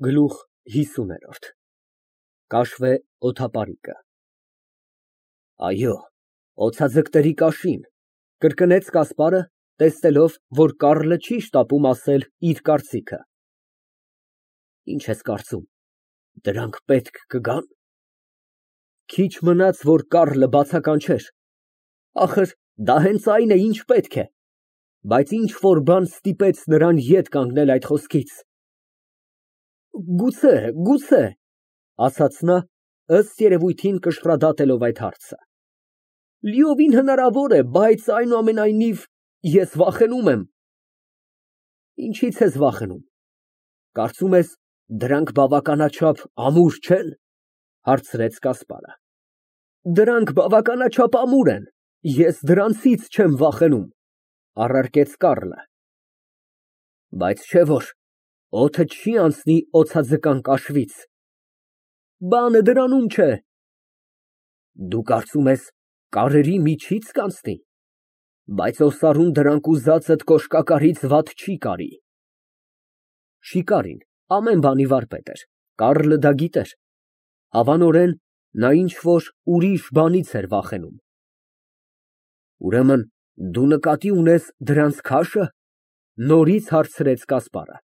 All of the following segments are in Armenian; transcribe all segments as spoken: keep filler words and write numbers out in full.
Գլուխ հիսուն։ Կաշվե օդապարիկը։ Այո, օձաձկների կաշին, կրկնեց Կասպարը, տեսնելով, որ Կառլը չի շտապում ասել իր կարծիքը։ Ինչ ես կարծում, դրանք պետք կգա՞ն։ Քիչ մնաց, որ Կառլը բացականչեր, ախր դա հենց այն է, ինչ պետք է, բայց ինչ֊որ բան ստիպեց նրան ետ կանգնել այդ խոսքից։ Գուցե, գուցե, ասաց նա, ըստ երևույթին կշռադատելով այդ հարցը։ Լիովին հնարավոր է, բայց այնուամենայնիվ ես վախենում եմ։ Ինչի՞ց ես վախենում։ Կարծում ես, դրանք բավականաչափ ամուր չեն, հարցրեց Կասպարը։ Դրանք բավականաչափ ամուր են, ես դրանցից չեմ վախենում, առարկեց Կառլը։ Բայց չէ՞ որ օդը չի անցնի օձաձկան կաշվից։ Բանը դրանում չէ։ Դու կարծում ես կարերի միջի՞ց կանցնի, բայց օսարուն դրանք ուզածդ կոշկակարից վատ չի կարի։ Շիկարին ամեն բանի վարպետ էր, Կառլը դա գիտեր, հավանորեն նա ինչ֊որ ուրիշ բանից էր վախենում։ Ուրեմն դու նկատի ունես դրանց քաշը, նորից հարցրեց Կասպարը։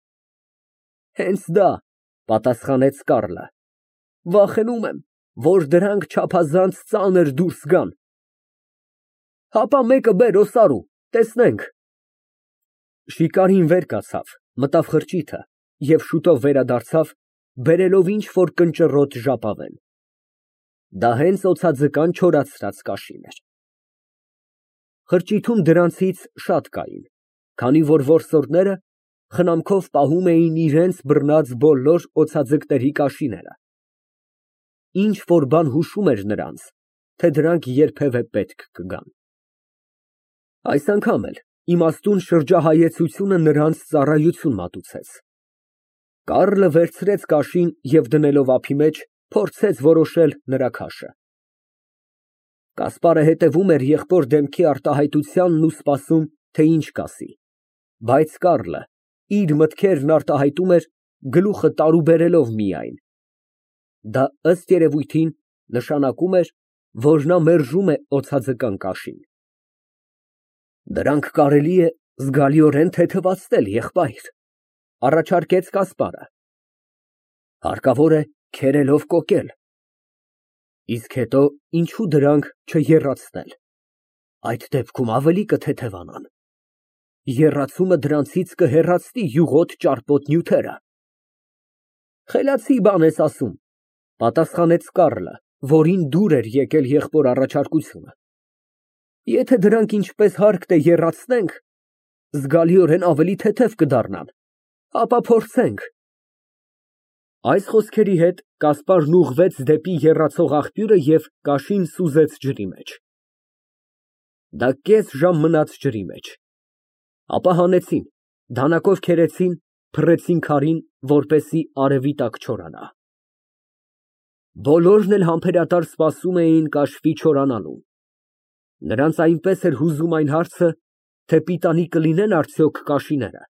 Հենց դա, պատասխանեց Կառլը, վախենում եմ, որ դրանք չափազանց ծանր դուրս գան։ Հապա մեկը բեր, օսարու, տեսնենք։ Շիկարին վեր կացավ, մտավ խրճիթը և շուտով վերադարձավ, բերելով ինչ֊որ կնճռոտ ժապավեն։ Դա հենց օձաձկան չորացրած կաշին էր։ Խրճիթում դրանցից շատ կային, քանի որ որսորդները խնամքով պահում էին իրենց բռնած բոլոր օձաձկների կաշիները։ Ինչ֊որ բան հուշում էր նրանց, թե դրանք երբևէ պետք կգան։ Այս անգամ էլ իմաստուն շրջահայեցությունը նրանց ծառայություն մատուցեց։ Կառլը վերցրեց կաշին և դնելով ափի մեջ, փորձեց որոշել նրա քաշը։ Կասպարը հետևում էր եղբոր դեմքի արտահայտությանն ու սպասում, թե ինչ կասի, բայց Կառլը իր մտքերն արտահայտում էր, գլուխը տարուբերելով միայն։ Դա ըստ երևույթին նշանակում էր, որ նա մերժում է օձաձկան կաշին։ Դրանք կարելի է զգալիորեն թեթևացնել, եղբայր, առաջարկեց Կասպարը։ Հարկավոր է քերելով կոկել։ Իսկ հետո ինչու դրանք չեռացնել, այդ դեպքում ավելի կթեթևանան։ Եռացումը դրանցից կհեռացնի յուղոտ ճարպոտ նյութերը։ Խելացի բան ես ասում, պատասխանեց Կառլը, որին դուր էր եկել եղբոր առաջարկությունը։ Եթե դրանք ինչպես հարկտ է եռացնենք, զգալիորեն ավելի թեթև կդառնան, ապա փորձենք։ Այս խոսքերի հետ Կասպարն ուղղվեց դեպի եռացող աղբյուրը և կաշին սուզեց ջրի մեջ։ Դա կես ժամ մնաց ջրի մեջ։ Ապա հանեցին, դանակով քերեցին, փռեցին քարին, որպեսզի արևի տակ չորանա։ Բոլորն էլ համբերատար սպասում էին կաշվի չորանալուն։ Նրանց այնպես էր հուզում այն հարցը, թե պիտանի կլինեն արդյոք կաշիները,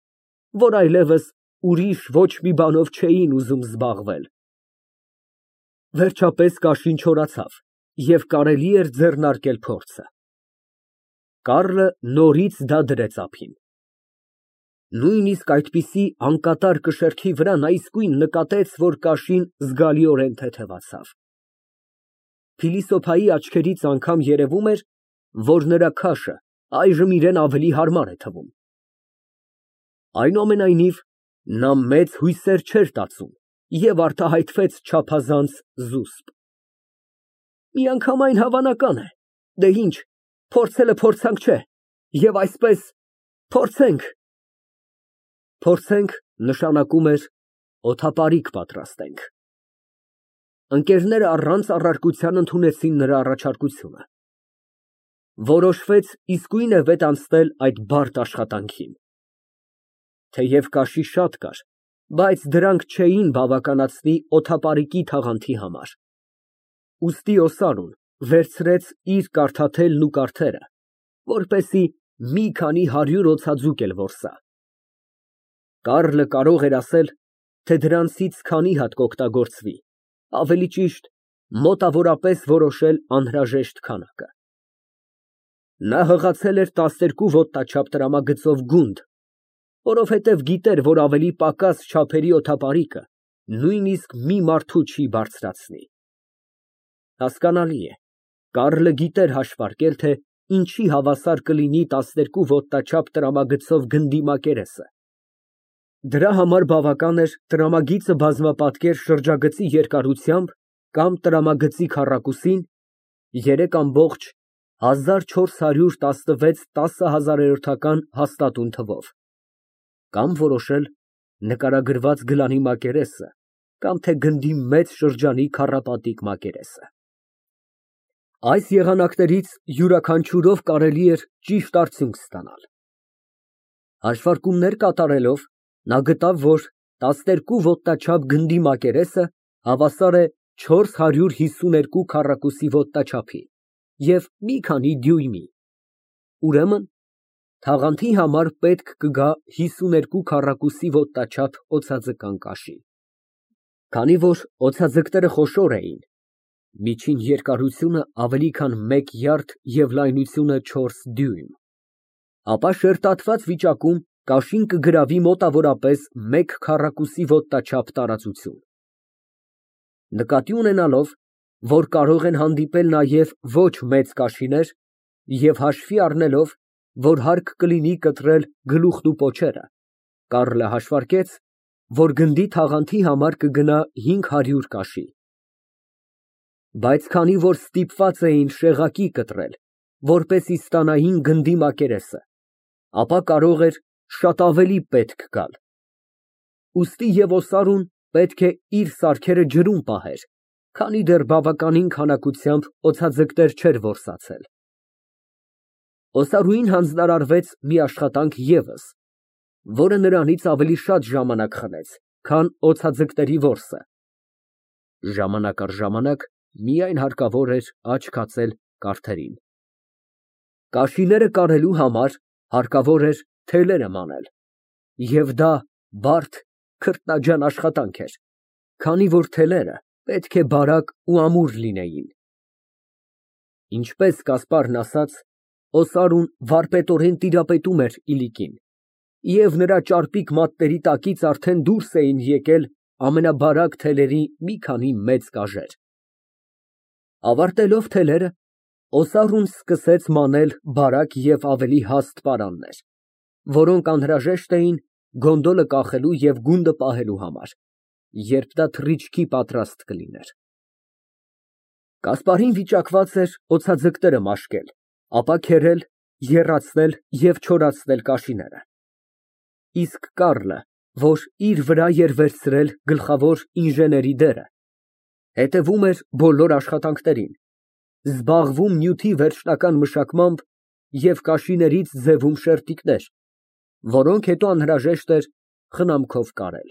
որ այլևս ուրիշ ոչ մի բանով չէին ուզում զբաղվել։ Վերջապես կաշին չորացավ, և կարելի էր ձեռնարկել փորձը։ Կառլը նորից դա դրեց ափին։ Նույնիսկ այդպիսի անկատար կշեռքի վրա նա իսկույն նկատեց, որ կաշին զգալիորեն թեթևացավ։ Փիլիսոփայի աչքերից անգամ երևում էր, որ նրա քաշը այժմ իրան ավելի հարմար է թվում։ Այնուամենայնիվ, նա մեծ հույսեր չէր տածում և արտահայտվեց չափազանց զուսպ։ Միանգամայն հավանական է, դե ինչ, փորձելը փորձանք չէ, և այսպես, փորձենք։ Փորձենք նշանակում էր օդապարիկ պատրաստենք։ Ընկերները առանց առարկության ընդունեցին նրա առաջարկությունը։ Որոշվեց իսկույն է վետ անցնել այդ բարդ աշխատանքին։ Թեև կաշի շատ կար, բայց դրանք չէին բավականացնի օդապարիկի թաղանթի համար։ Ուստի օսարուն վերցրեց իր կարդաթելն ու կարդերը, որպեսզի մի քանի հարյուր օձաձուկ էլ որսա։ Կառլը կարող էր ասել, թե դրանցից քանի հատ կօգտագործվի, ավելի ճիշտ, մոտավորապես որոշել անհրաժեշտ քանակը։ Նա հղացել էր տասներկու ոտնաչափ տրամագծով գունդ, որովհետև գիտեր, որ ավելի պակաս չափերի օդապարիկը նույնիսկ մի մարդու չի բարձրացնի։ Հասկանալի է, Կարլը գիտեր հաշվարկել, թե ինչի հավասար կլինի տասներկու ոտնաչափ տրամագծով գնդի մակերեսը։ Դրա համար բավական էր տրամագիծը բազմապատկեր շրջագծի երկարությամբ կամ տրամագծի քառակուսին երեք ամբողջ հազար չորս հարյուր տասնվեց տասնհազարերորդական հաստատուն թվով, կամ որոշել նկարագրված գլանի մակերեսը, կամ թե գնդի մեծ շրջանի քառապատիկ մակերեսը։ Այս եղանակներից յուրաքանչյուրով կարելի էր ճիշտ արդյունք ստանալ։ Հաշվարկումներ կատարելով, նա գտավ, որ տասներկու ոտնաչափ գնդի մակերեսը հավասար է չորս հարյուր հիսուներկու քառակուսի ոտնաչափի և մի քանի դյույմի, ուրեմն թաղանթի համար պետք կգա հիսուներկու քառակուսի ոտնաչափ օձաձկան կաշի։ Քանի որ օձաձկները խոշոր էին, միջին երկարությունը ավելի քան մեկ յարդ և լայնությունը չորս դյույմ, ապա շերտատված վիճակում կաշին կգրավի մոտավորապես մեկ քառակուսի ոտնաչափ տարածություն։ Նկատի ունենալով, որ կարող են հանդիպել նաև ոչ մեծ կաշիներ, և հաշվի առնելով, որ հարկ կլինի կտրել գլուխն ու պոչերը, Կարլը հաշվարկեց, որ գնդի թաղանթի համար կգնա հինգ հարյուր կաշի։ Բայց քանի որ ստիպված էին շեղակի կտրել, որպեսզի ստանային գնդի մակերեսը, ապա կարող էր շատ ավելի պետք գալ։ Ուստի և օսարուն պետք է իր սարքերը ջրում պահեր, քանի դեռ բավականին քանակությամբ օձաձկներ չէր որսացել։ Օսարուին հանձնարարվեց մի աշխատանք ևս, որը նրանից ավելի շատ ժամանակ խլեց, քան օձաձկների որսը։ Ժամանակ առ ժամանակ միայն հարկավոր էր աչք հացել կարթերին։ Կաշիները կարելու համար հարկավոր էր թելերը մանել, և դա բարդ, քրտնաջան աշխատանք էր, քանի որ թելերը պետք է բարակ ու ամուր լինեին։ Ինչպես Կասպարն ասաց, օսարուն վարպետորեն տիրապետում էր Իլիկին, և նրա ճարպիկ մատների տակից արդեն դուրս էին եկել ամենաբարակ թելերի մի քանի մեծ կաժեր։ Ավարտելով թելերը, օսարուն սկսեց մանել բարակ և ավելի հաստ պարաններ, որոնք անհրաժեշտ էին գոնդոլը կախելու և գունդը պահելու համար, երբ դա թռիչքի պատրաստ կլիներ։ Կասպարին վիճակված էր օձաձկները մաշկել, ապա քերել, եռացնել և չորացնել կաշիները, իսկ Կարլը, որ իր վրա էր վերցրել գլխավոր ինժեների դերը, հետևում էր բոլոր աշխատանքներին, զբաղվում նյութի վերջնական մշակմամբ և կաշիներից ձևում շերտիկներ, որոնք հետո անհրաժեշտ էր խնամքով կարել։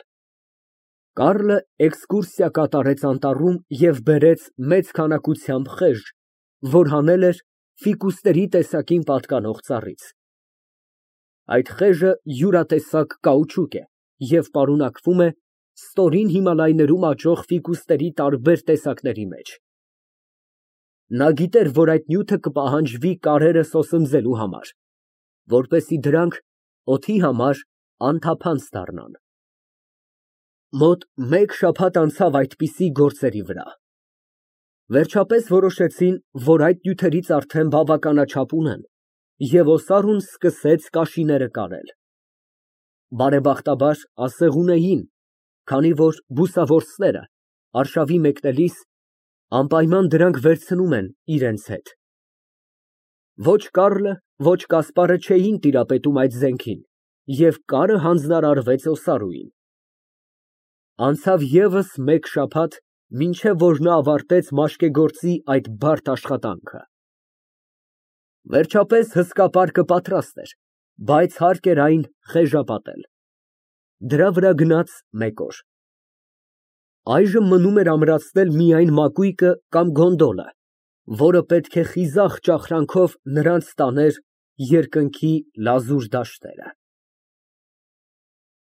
Կարլը էքսկուրսիա կատարեց անտառում և բերեց մեծ քանակությամբ խեժ, որ հանել էր ֆիկուսների տեսակին պատկանող ծառից։ Այդ խեժը յուրատեսակ կաուչուկ է և պարունակվում է ստորին Հիմալայներում աճող ֆիկուսների տարբեր տեսակների մեջ։ Նա գիտեր, որ այդ նյութը կպահանջվի կարերը սոսնձելու համար, որպեսզի դրանք օդի համար անթափանց դառնան։ Մոտ մեկ շաբաթ անցավ այդպիսի գործերի վրա։ Վերջապես որոշեցին, որ այդ նյութերից արդեն բավականաչափ ունեն, և օսարուն սկսեց կաշիները կարել։ Բարեբախտաբար ասեղ ունեին, քանի որ բուսավորձները, արշավի մեկնելիս, անպայման դրանք վերցնում են իրենց հետ։ Ոչ Կարլը, ոչ Կասպարը չէին տիրապետում այդ զենքին, և կարը հանձնարարվեց օսարուին։ Անցավ ևս մեկ շաբաթ, մինչև որ նա ավարտեց մաշկեգործի այդ բարդ աշխատանքը։ Վերջապես հսկա պարկը պատրաստ էր, բայց հարկ էր այն խեժապատել։ Դրա վրա գնաց մեկ օր։ Այժմ մնում էր ամրացնել միայն մակույկը կամ գոնդոլը, որը պետք է խիզախ ճախրանքով նրանց տաներ երկնքի լազուր դաշտերը։